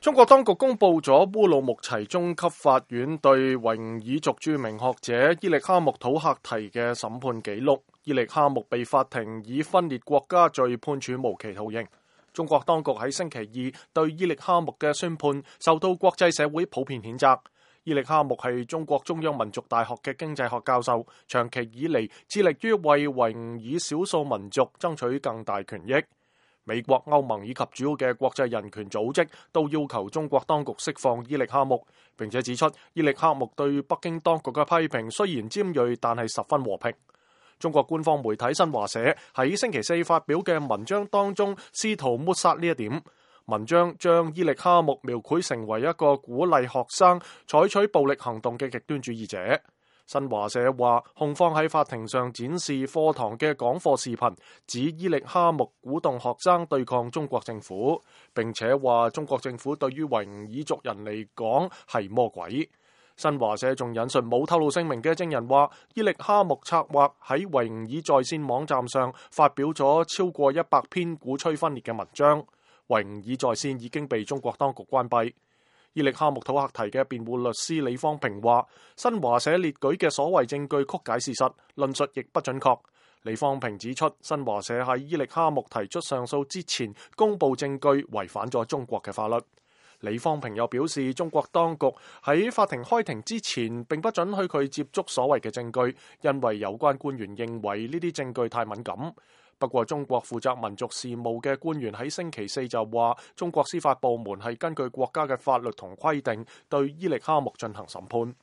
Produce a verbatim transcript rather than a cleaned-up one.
中國當局公布咗烏魯木齊中級法院對維吾爾族著名學者伊力哈木土赫提嘅審判記錄。伊力哈木被法庭以分裂國家罪判處無期徒刑。中國當局喺星期二對伊力哈木嘅宣判受到國際社會普遍譴責。伊力哈木係中國中央民族大學嘅經濟學教授，長期以嚟致力於為維吾爾少數民族爭取更大權益。美國、歐盟以及主要嘅國際人權組織都要求中國當局釋放伊力哈木，並且指出伊力哈木對北京當局嘅批評雖然尖銳，但係十分和平。中國官方媒體新華社喺星期四發表嘅文章當中，試圖抹殺呢一點。文章將伊力哈木描繪成為一個鼓勵學生採取暴力行動嘅極端主義者。新華社話，控方喺法庭上展示課堂嘅講課視頻，指伊力哈木鼓動學生對抗中國政府，並且話中國政府對於維吾爾族人嚟講係魔鬼。新華社仲引述冇透露姓名嘅證人話，伊力哈木策劃喺維吾爾在線網站上發表咗超過一百篇鼓吹分裂嘅文章。維吾爾在線已經被中國當局關閉。伊力哈木土赫提嘅辯護律師李方平話，新華社列舉嘅所謂證據曲解事實，論述亦不準確。李方平指出，新華社喺伊力哈木提出上訴之前公布證據，違反咗中國嘅法律。李方平又表示，中國當局喺法庭開庭之前並不准許佢接觸所謂嘅證據，因為有關官員認為呢啲證據太敏感。不過，中國負責民族事務嘅官員喺星期四就話，中國司法部門係根據國家嘅法律同規定對伊力哈木進行審判。